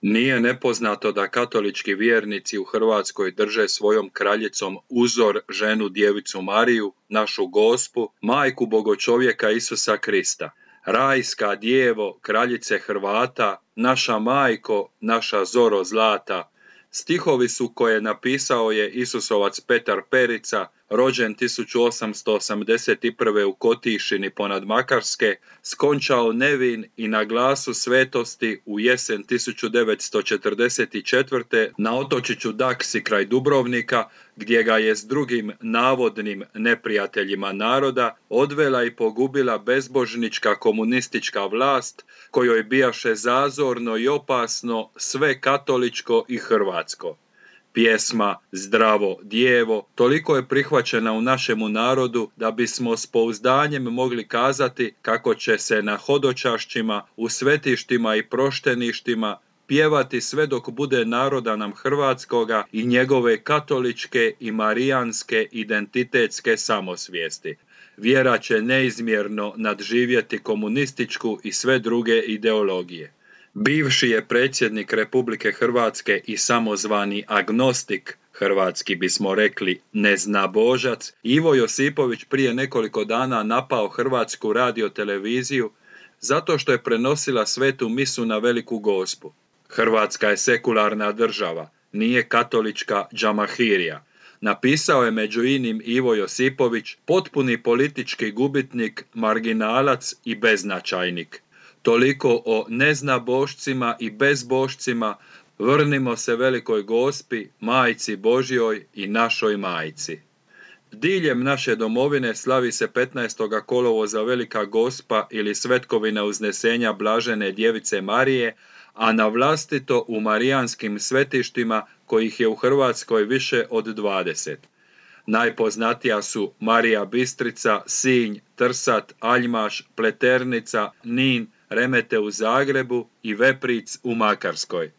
Nije nepoznato da katolički vjernici u Hrvatskoj drže svojom kraljicom uzor ženu djevicu Mariju, našu Gospu, majku bogočovjeka Isusa Krista. Rajska djevo, kraljice Hrvata, naša majko, naša zoro zlata. Stihovi su koje napisao je Isusovac Petar Perica, rođen 1881. u Kotišini ponad Makarske, skončao nevin i na glasu svetosti u jesen 1944. na otočiću Daksi kraj Dubrovnika, gdje ga je s drugim navodnim neprijateljima naroda odvela i pogubila bezbožnička komunistička vlast, kojoj bijaše zazorno i opasno sve katoličko i hrvatsko. Pjesma Zdravo djevo toliko je prihvaćena u našemu narodu da bismo s pouzdanjem mogli kazati kako će se na hodočašćima, u svetištima i prošteništima pjevati sve dok bude naroda nam hrvatskoga i njegove katoličke i marijanske identitetske samosvijesti. Vjera će neizmjerno nadživjeti komunističku i sve druge ideologije. Bivši je predsjednik Republike Hrvatske i samozvani agnostik, hrvatski bismo rekli neznabožac, Ivo Josipović prije nekoliko dana napao Hrvatsku radioteleviziju zato što je prenosila svetu misu na Veliku Gospu. Hrvatska je sekularna država, nije katolička džamahirija. Napisao je među inim Ivo Josipović, potpuni politički gubitnik, marginalac i beznačajnik. Toliko o neznabošcima i bezbošcima, vrnimo se Velikoj Gospi, Majci Božjoj i našoj majci. Diljem naše domovine slavi se 15. kolovoza Velika Gospa ili svetkovina uznesenja Blažene djevice Marije, a na vlastito u marijanskim svetištima kojih je u Hrvatskoj više od 20. Najpoznatija su Marija Bistrica, Sinj, Trsat, Aljmaš, Pleternica, Nin, Remete u Zagrebu i Vepric u Makarskoj.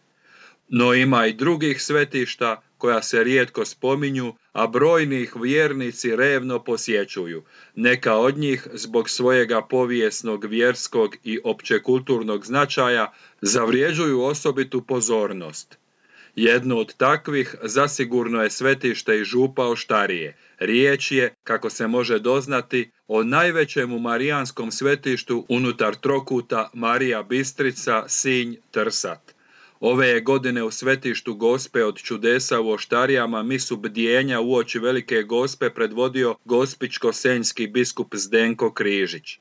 No ima i drugih svetišta koja se rijetko spominju, a brojni ih vjernici revno posjećuju. Neka od njih zbog svojega povijesnog, vjerskog i općekulturnog značaja zavrjeđuju osobitu pozornost. Jedno od takvih zasigurno je svetište i Župa Oštarije. Riječ je, kako se može doznati, o najvećemu marijanskom svetištu unutar trokuta Marija Bistrica, Sinj, Trsat. Ove je godine u svetištu Gospe od čudesa u Oštarijama misu bdjenja uoči Velike Gospe predvodio gospičko-senjski biskup Zdenko Križić.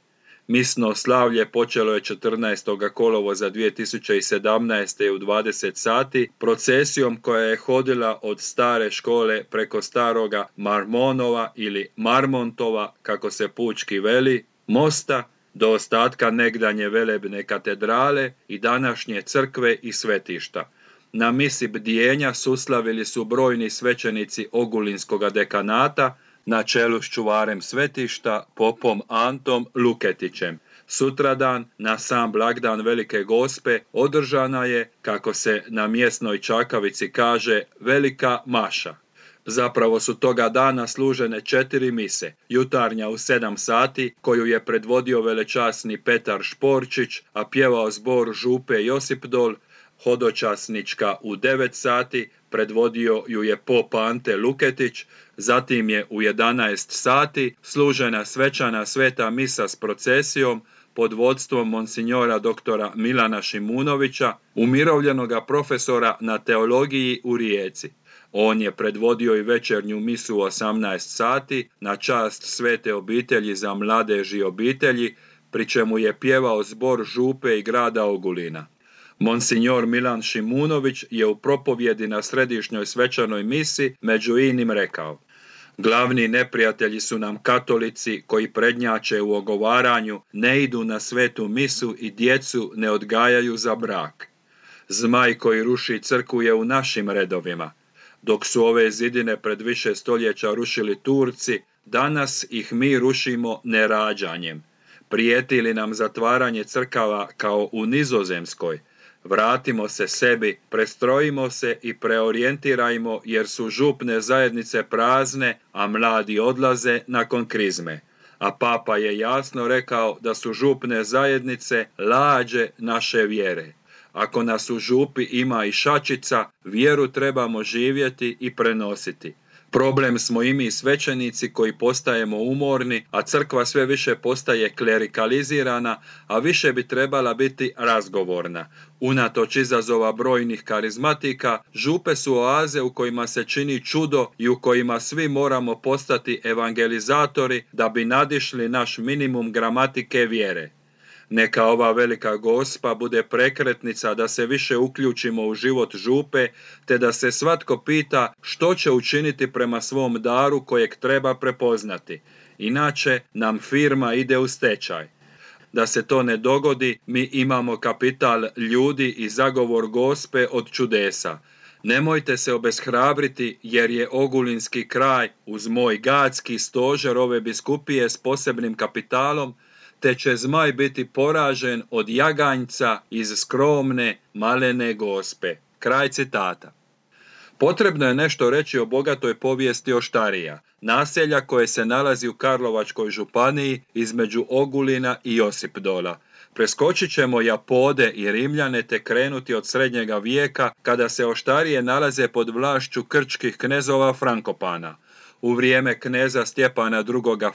Misno slavlje počelo je 14. kolovoza 2017. u 20 sati procesijom koja je hodila od stare škole preko staroga Marmonova ili Marmontova, kako se pučki veli, mosta do ostatka negdanje velebne katedrale i današnje crkve i svetišta. Na misi bdjenja suslavili su brojni svećenici Ogulinskoga dekanata, na čelu s čuvarem svetišta, popom Antom Luketićem. Sutradan, na sam blagdan Velike Gospe, održana je, kako se na mjesnoj čakavici kaže, velika maša. Zapravo su toga dana služene 4 mise, jutarnja u 7 sati, koju je predvodio velečasni Petar Šporčić, a pjevao zbor Župe Josipdol, hodočasnička u 9 sati, predvodio ju je pop Ante Luketić, zatim je u 11 sati služena svečana sveta misa s procesijom pod vodstvom monsinjora doktora Milana Šimunovića, umirovljenoga profesora na teologiji u Rijeci. On je predvodio i večernju misu u 18 sati na čast Svete obitelji za mladež i obitelji, pri čemu je pjevao zbor Župe i grada Ogulina. Monsinjor Milan Šimunović je u propovjedi na središnjoj svečanoj misi među inim rekao: glavni neprijatelji su nam katolici koji prednjače u ogovaranju, ne idu na svetu misu i djecu ne odgajaju za brak. Zmaj koji ruši crkvu je u našim redovima. Dok su ove zidine pred više stoljeća rušili Turci, danas ih mi rušimo nerađanjem. Prijeti li nam zatvaranje crkava kao u Nizozemskoj? Vratimo se sebi, prestrojimo se i preorijentirajmo jer su župne zajednice prazne, a mladi odlaze nakon krizme. A papa je jasno rekao da su župne zajednice lađe naše vjere. Ako nas u župi ima i šačica, vjeru trebamo živjeti i prenositi. Problem smo i mi svećenici koji postajemo umorni, a crkva sve više postaje klerikalizirana, a više bi trebala biti razgovorna. Unatoč izazova brojnih karizmatika, župe su oaze u kojima se čini čudo i u kojima svi moramo postati evangelizatori da bi nadišli naš minimum gramatike vjere. Neka ova velika Gospa bude prekretnica da se više uključimo u život župe, te da se svatko pita što će učiniti prema svom daru kojeg treba prepoznati. Inače nam firma ide u stečaj. Da se to ne dogodi, mi imamo kapital ljudi i zagovor Gospe od čudesa. Nemojte se obeshrabriti jer je Ogulinski kraj uz moj Gadski stožer ove biskupije s posebnim kapitalom, te će zmaj biti poražen od jaganjca iz skromne, malene Gospe. Kraj citata. Potrebno je nešto reći o bogatoj povijesti Oštarija, naselja koje se nalazi u Karlovačkoj županiji između Ogulina i Josipdola. Preskočit ćemo Japode i Rimljane te krenuti od srednjega vijeka kada se Oštarije nalaze pod vlašću krčkih knezova Frankopana. U vrijeme kneza Stjepana II.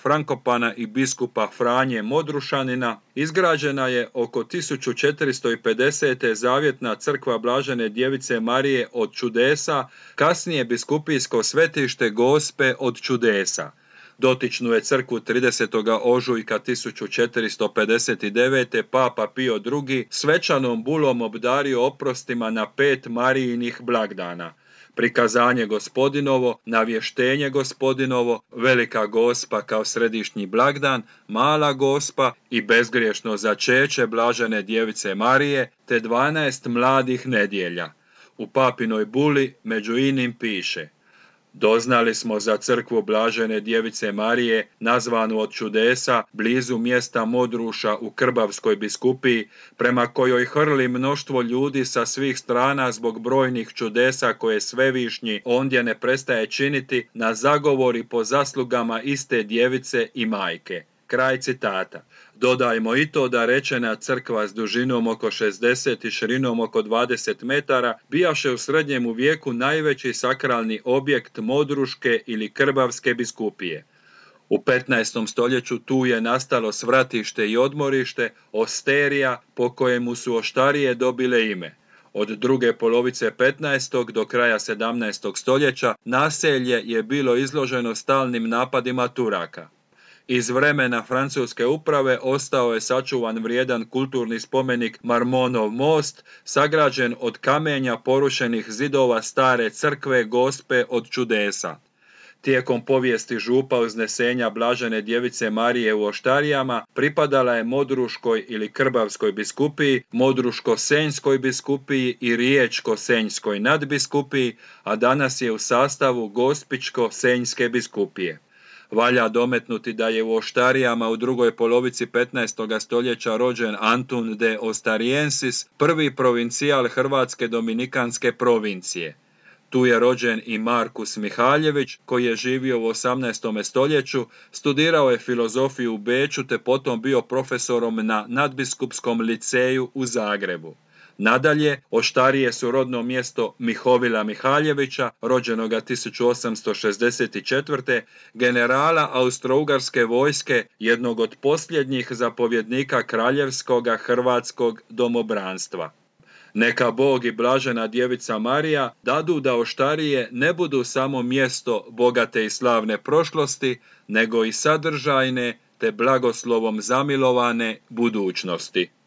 Frankopana i biskupa Franje Modrušanina izgrađena je oko 1450. zavjetna crkva Blažene djevice Marije od čudesa, kasnije biskupijsko svetište Gospe od čudesa. Dotičnu je crkvu 30. ožujka 1459. Papa Pio II. Svečanom bulom obdario oprostima na 5 Marijinih blagdana. Prikazanje Gospodinovo, navještenje Gospodinovo, Velika Gospa kao središnji blagdan, Mala Gospa i bezgriješno začeće Blažene djevice Marije, te 12 mladih nedjelja. U papinoj buli među inim piše: doznali smo za crkvu Blažene djevice Marije, nazvanu od čudesa, blizu mjesta Modruša u Krbavskoj biskupiji, prema kojoj hrli mnoštvo ljudi sa svih strana zbog brojnih čudesa koje Svevišnji ondje ne prestaje činiti na zagovori po zaslugama iste djevice i majke. Kraj citata. Dodajmo i to da rečena crkva s dužinom oko 60 i širinom oko 20 metara bijaše u srednjemu vijeku najveći sakralni objekt Modruške ili Krbavske biskupije. U 15. stoljeću tu je nastalo svratište i odmorište, osterija, po kojemu su Oštarije dobile ime. Od druge polovice 15. do kraja 17. stoljeća naselje je bilo izloženo stalnim napadima Turaka. Iz vremena francuske uprave ostao je sačuvan vrijedan kulturni spomenik Marmonov most, sagrađen od kamenja porušenih zidova stare crkve Gospe od čudesa. Tijekom povijesti župa uznesenja Blažene djevice Marije u Oštarijama pripadala je Modruškoj ili Krbavskoj biskupiji, Modruško-senjskoj biskupiji i Riječko-senjskoj nadbiskupiji, a danas je u sastavu Gospičko-senjske biskupije. Valja dometnuti da je u Oštarijama u drugoj polovici 15. stoljeća rođen Antun de Ostariensis, prvi provincijal Hrvatske dominikanske provincije. Tu je rođen i Markus Mihaljević, koji je živio u 18. stoljeću, studirao je filozofiju u Beču te potom bio profesorom na nadbiskupskom liceju u Zagrebu. Nadalje, Oštarije su rodno mjesto Mihovila Mihaljevića, rođenoga 1864. generala austrougarske vojske, jednog od posljednjih zapovjednika kraljevskoga hrvatskog domobranstva. Neka Bog i Blažena djevica Marija dadu da Oštarije ne budu samo mjesto bogate i slavne prošlosti, nego i sadržajne te blagoslovom zamilovane budućnosti.